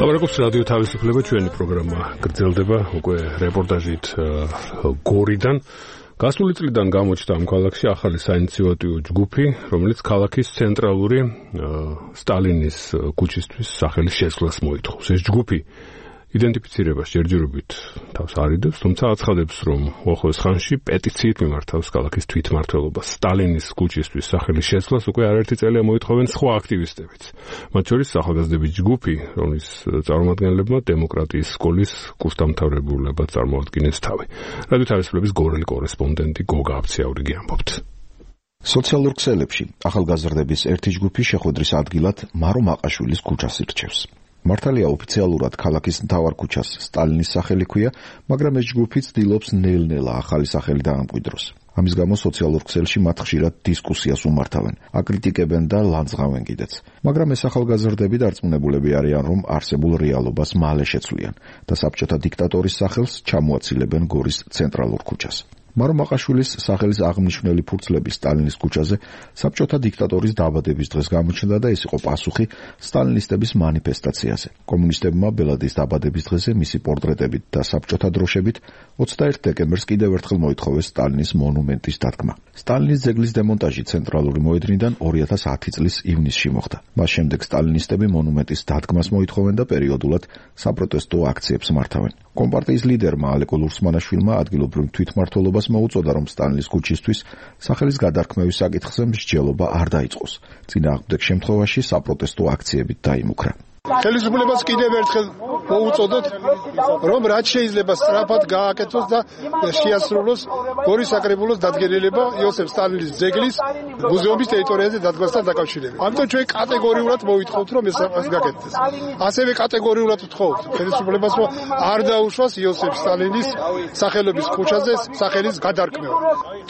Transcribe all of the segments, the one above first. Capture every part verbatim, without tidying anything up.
ლაპარაკობს რადიო თავისუფლება, ჩვენი პროგრამა გრძელდება უკვე რეპორტაჟით გორიდან. გასული წლიდან გამოჩნდა ამ ქალაქში ახალი საინიციატივო ჯგუფი, რომელიც ქალაქის ცენტრალური სტალინის ქუჩისთვის სახელის შეცვლას მოითხოვს. ეს ჯგუფი იდენტიფიცირებას ჯერჯერობით თავს არიდებს, თუმცა აცხადებს, რომ უახლოეს ხანში პეტიციით მიმართავს ქალაქის თვითმმართველობას სტალინის ქუჩისთვის სახელის შეცვლას უკვე არაერთი წელია მოითხოვენ სხვა აქტივისტებიც. მათ შორის ახალგაზრდების ჯგუფი, რომლის წარმომადგენლებმა დემოკრატიის სკოლის კურსდამთავრებულებად წარმოადგენს თავი. რადიო თავისუფლების გორელი კორესპონდენტი გოგა აბციაურიგი ამბობთ. სოციალურ ქსელებში ახალგაზრდების ერთი ჯგუფი შეხვედრის ადგილად მარო მაყაშვილის ქუჩას ირჩევს. მართალია ოფიციალურად ქალაქის მთავარ ქუჩას სტალინის სახელი ქვია, მაგრამ ეს ჯგუფი ცდილობს ნელ-ნელა ახალი სახელი დაამკვიდროს. ამის გამო სოციალურ ქსელში მათ ხშირად დისკუსიას უმართავენ, აკრიტიკებენ და ლანძღავენ კიდეც. მაგრამ ეს ახალგაზრდები დარწმუნებულები არიან, რომ არსებულ რეალობას მალე შეცვლიან და საბჭოთა დიქტატორის სახელს ჩამოაცილებენ გორის ცენტრალურ ქუჩას. მარო მაყაშვილის სახელის აღმნიშვნელი ფურცლები სტალინის ქუჩაზე საბჭოთა დიქტატორის დაბადების დღეს გამოჩნდა და ეს იყო პასუხი სტალინისტების მანიფესტაციაზე. კომუნისტებმა ბელადის დაბადების დღეზე მისი პორტრეტებით და საბჭოთა დროშებით ოცდაერთი დეკემბერს კიდევ ერთხელ მოითხოვეს სტალინის მონუმენტის დადგმა. სტალინის ძეგლის დემონტაჟი ცენტრალური მოედნიდან ორი ათას ათი წლის ივნისში მოხდა. მას შემდეგ სტალინისტები მონუმენტის დადგმას მოითხოვენ და პერიოდულად საპროტესტო აქციებს მართავენ. კომპარტიის ლიდერმა ალეკო ლურსმანაშვილმა ადგილობრივ თვითმმართველობას მოუწოდა, რომ სტალინის ქუჩისთვის სახელის გადარქმევის საკითხზე მსჯელობა არ დაიწყოს. წინააღმდეგ შემთხვევაში საპროტესტო აქციებით დაიმუქრა. ხელისუფლებას კიდევ ერთხელ მოუწოდოთ, რომ რაც შეიძლება სწრაფად გააკეთოს და შეასრულოს გორის საკრებულოს დადგენილება იოსებ სტალინის ძეგლის მუზეუმის ტერიტორიაზე დადგმასთან დაკავშირებით. ამიტომ ჩვენ კატეგორიულად მოვითხოვთ, რომ ეს გაკეთდეს. ასევე კატეგორიულად ვთხოვთ ხელისუფლებას, რომ არ დაუშვას იოსებ სტალინის სახელობის ქუჩაზე სახელის გადარქმევა.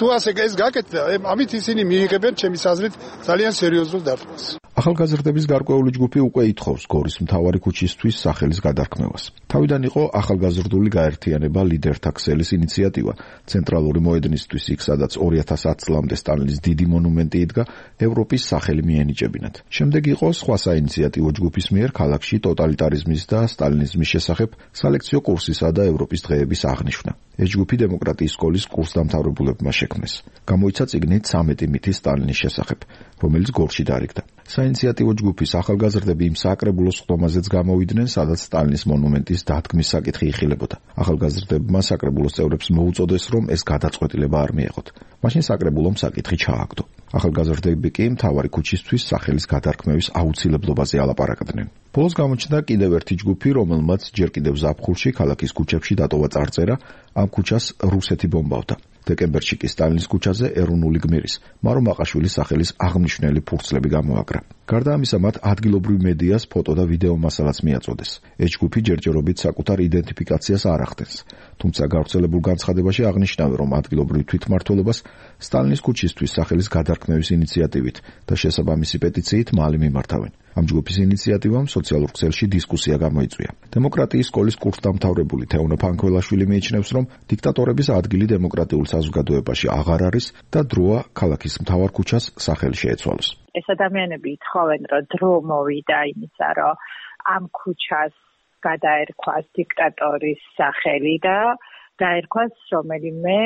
თუ ასე ეს გაკეთდა, ამით ისინი მიიღებენ ჩემის აზრით ძალიან სერიოზულ დარტყმას. ახალგაზრდების გარკვეული ჯგუფი უკვე ითხოვს გორის მთავარი ქუჩისთვის სახელის გადარქმევას. თავიდან იყო ახალგაზრდული გაერთიანება ლიდერთა ქსელის ინიციატივა ცენტრალური მოედნისთვის, იქ სადაც ორი ათას ათ წლამდე სტალინის დიდი მონუმენტი იდგა, ევროპის სახელი მიენიჭებინათ. შემდეგ იყო სხვა საინიციატივო ჯგუფის მიერ ქალაქში ტოტალიტარიზმის და სტალინიზმის შესახებ სალექციო კურსისა და ევროპის დღეების აღნიშვნა. ეს ჯგუფი დემოკრატიის სკოლის კურსდამთავრებულებმა შექმნეს. გამოიცა წიგნი ცამეტი მითი სტალინის შესახებ, რომელიც გორში დარიგდა. საინიციატივო ჯგუფის ახალგაზრდები იმ საკრებულოს ხდომაზეც გამოვიდნენ, სადაც სტალინის მონუმენტის დადგმის საკითხი იხილებოდა. ახალგაზრდებმა საკრებულოს წევრებს მოუწოდეს, რომ ეს გადაწყვეტილება არ მიეღოთ. მაშინ საკრებულომ საკითხი ჩააგდო. ახალგაზრდები კი მთავარი ქუჩისთვის სახელის გადარქმევის აუცილებლობაზე ალაპარაკდნენ. ბოლოს გამოჩნდა კიდევ ერთი ჯგუფი, რომელმაც ჯერ კიდევ ზაფხულში ქალაქის ქუჩებში დატოვა წარწერა, ამ ქუჩას რუსეთი ბომბავდა. დეკემბერში კი სტალინის ქუჩაზე ეროვნული გმირის მარო მაყაშვილის სახელის აღმნიშვნელი ფურცლები გამოაგრა. გარდა ამისა, მათ ადგილობრივ მედიას ფოტო და ვიდეო მასალაც მიაწოდეს. ეს ჯგუფი ჯერჯერობით საკუთარ იდენტიფიკაციას არ ახდენს, თუმცა გავრცელებულ განცხადებაში აღნიშნავენ, რომ ადგილობრივ თვითმმართველობას სტალინის ქუჩისთვის სახელის გადარქმევის ინიციატივით და შესაბამისი პეტიციით მალე მიმართავენ. ამ ჯგუფის ინიციატივამ სოციალურ ქსელში დისკუსია გამოიწვია. დემოკრატიის სკოლის კურსდამთავრებული თეონო ფანქველაშვილი მიიჩნევს, რომ დიქტატორების ადგილი დემოკრატიულ საზოგადოებაში აღარ არის და დროა ქალაქის მთავარ ქუჩას სახელი შეეცვალოს. ეს ადამიანები ითხოვენ, რომ დრო მოვიდა იმისა, რომ ამ ქუჩას გადაერქვას დიქტატორის სახელი და დაერქვას რომელიმე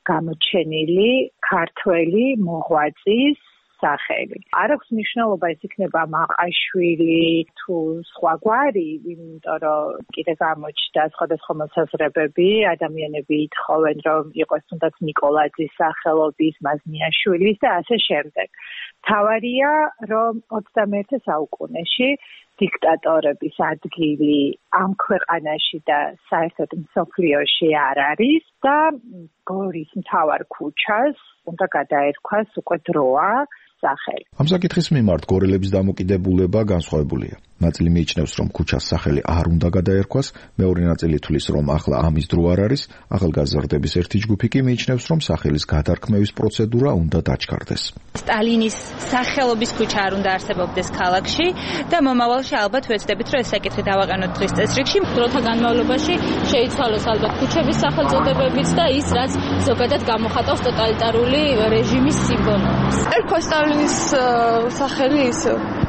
გამოჩენილი ქართველი მოღვაწის სახელი. არ აქვს მნიშვნელობა ეს იქნება მაყაშვილი თუ სხვა გვარი, იმიტომ რომ კიდე გამოჩნდა სხვადასხვა მოსაზრებები, ადამიანები ითხოვენ, რომ იყოს თუნდაც ნიკოლაძის სახელობის, მაზნიაშვილის და ასე შემდეგ. თავარია, რომ ოცდამეერთე საუკუნეში დიქტატორების ადგილი ამ ქვეყანაში და საერთოდ მსოფლიოში არ არის და გორის მთავარ ქუჩას უნდა გადაერქვას უკვე დროა სახელი. ამ საკითხის მიმართ გორელების დამოკიდებულება განსხვავებულია. ნაწილი მიიჩნევს, რომ ქუჩას სახელი არ უნდა გადაერქვას, მეორე ნაწილი თვლის, რომ ახლა ამის დრო არ არის, ახალგაზრდების ერთი ჯგუფი კი მიიჩნევს, რომ სახელის გადარქმევის პროცედურა უნდა დაჩქარდეს. სტალინის სახელობის ქუჩა არ უნდა არსებობდეს ქალაქში და მომავალში ალბათ ვეცდებით, რომ ეს საკითხი დავაყენოთ დღის წესრიგში. დროთა განმავლობაში შეიცვალოს ალბათ ქუჩების სახელწოდებებიც და ის, რაც ზოგადად გამოხატავს ტოტალიტარული რეჟიმის სიმბოლოებს. ერქვა სტალინის სახელი ის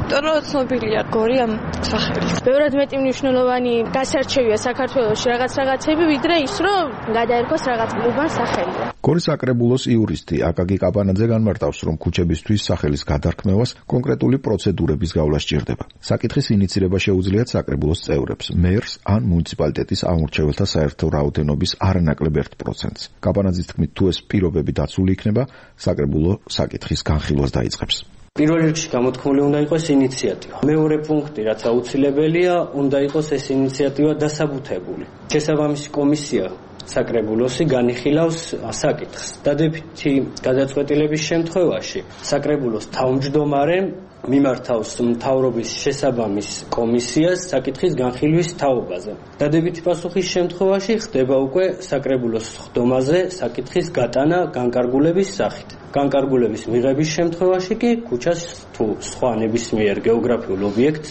იმიტომ რომ ცნობილია გორი ამ სახელით. ბევრად მეტი მნიშვნელოვანი გასარჩევია საქართველოში რაღაც რაღაცები, ვიდრე ის, რომ გადაერქოს რაღაც უბან სახელი. გორის საკრებულოს იურისტი აკაკი კაპანაძე განმარტავს, რომ ქუჩებისთვის სახელის გადარქმევას კონკრეტული პროცედურების გავლა სჭირდება. საკითხის ინიცირება შეუძლიათ საკრებულოს წევრებს, მერს ან მუნიციპალიტეტის ამორჩეველთა საერთო რაოდენობის არანაკლებ ერთ პროცენტს. კაპანაძის თქმით, თუ ეს პირობები დაცული იქნება, საკრებულო საკითხის განხილვას დაიწყებს. პირველ რიგში გამოთქმული უნდა იყოს ინიციატივა. მეორე პუნქტი, რაც აუცილებელია, უნდა იყოს ეს ინიციატივა დასაბუთებული. შესაბამისი კომისია საკრებულოსი განიხილავს საკითხს. დადებითი გადაწყვეტილების შემთხვევაში საკრებულოს თავმჯდომარემ მიმართავს მთავრობის შესაბამის კომისიას საკითხის განხილვის თაობაზე. დადებითი პასუხის შემთხვევაში ხდება უკვე საკრებულოს ხდომაზე საკითხის გატანა განკარგულების სახით. განკარგულების მიღების შემთხვევაში კი ქუჩას თუ სხვა ნებისმიერ გეოგრაფიულ ობიექტს,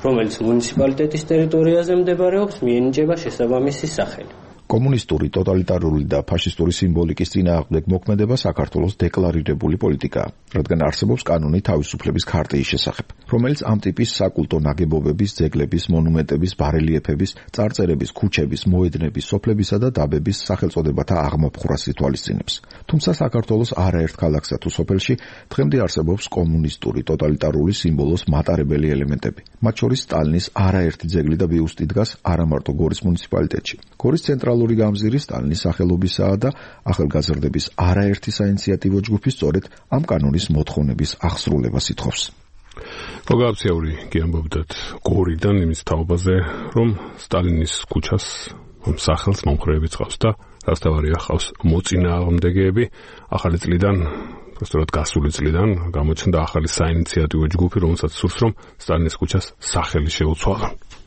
რომელიც მუნიციპალიტეტის ტერიტორიაზე მდებარეობს, მიენიჭება შესაბამისი სახელი. კომუნისტური, ტოტალიტარული და ფაშისტური სიმბოლიკის წინააღმდეგ მოქმედება საქართველოს დეკლარირებული პოლიტიკაა, რადგან არსებობს კანონი თავისუფლების ქარტიის შესახებ, რომელიც ამ ტიპის საკულტო ნაგებობების, ძეგლების, მონუმენტების, ბარელიეფების, წარწერების, ქუჩების, მოედნების, სოფლებისა და დაბების სახელწოდებათა აღმოფხვრას ითვალისწინებს. თუმცა საქართველოს არაერთ ქალაქსა თუ სოფელში დღემდე არსებობს კომუნისტური, ტოტალიტარული სიმბოლოს მატარებელი ელემენტები. მათ შორის სტალინის არაერთი ძეგლი და ბიუსტი დგას არა მარტო გორის მუნიციპალიტეტში. გორის ცენტრალურ გამზირი სტალინის სახელობისაა და ახალგაზრდების არაერთი საინიციატივო ჯგუფი სწორედ ამ კანონის მოთხოვნების აღსრულებას ითხოვს. მოგაფციური გიამბობდათ გორიდან იმის თაობაზე, რომ სტალინის ქუჩას სახელს მომხრეებიც ყავს და რასთავარია ყავს მოწინააღმდეგეები. ახალი წლიდან, სწორედ გასული წლიდან გამოჩნდა ახალი საინიციატივო ჯგუფი, რომელსაც სურს, რომ სტალინის ქუჩას სახელი შეუცვალონ.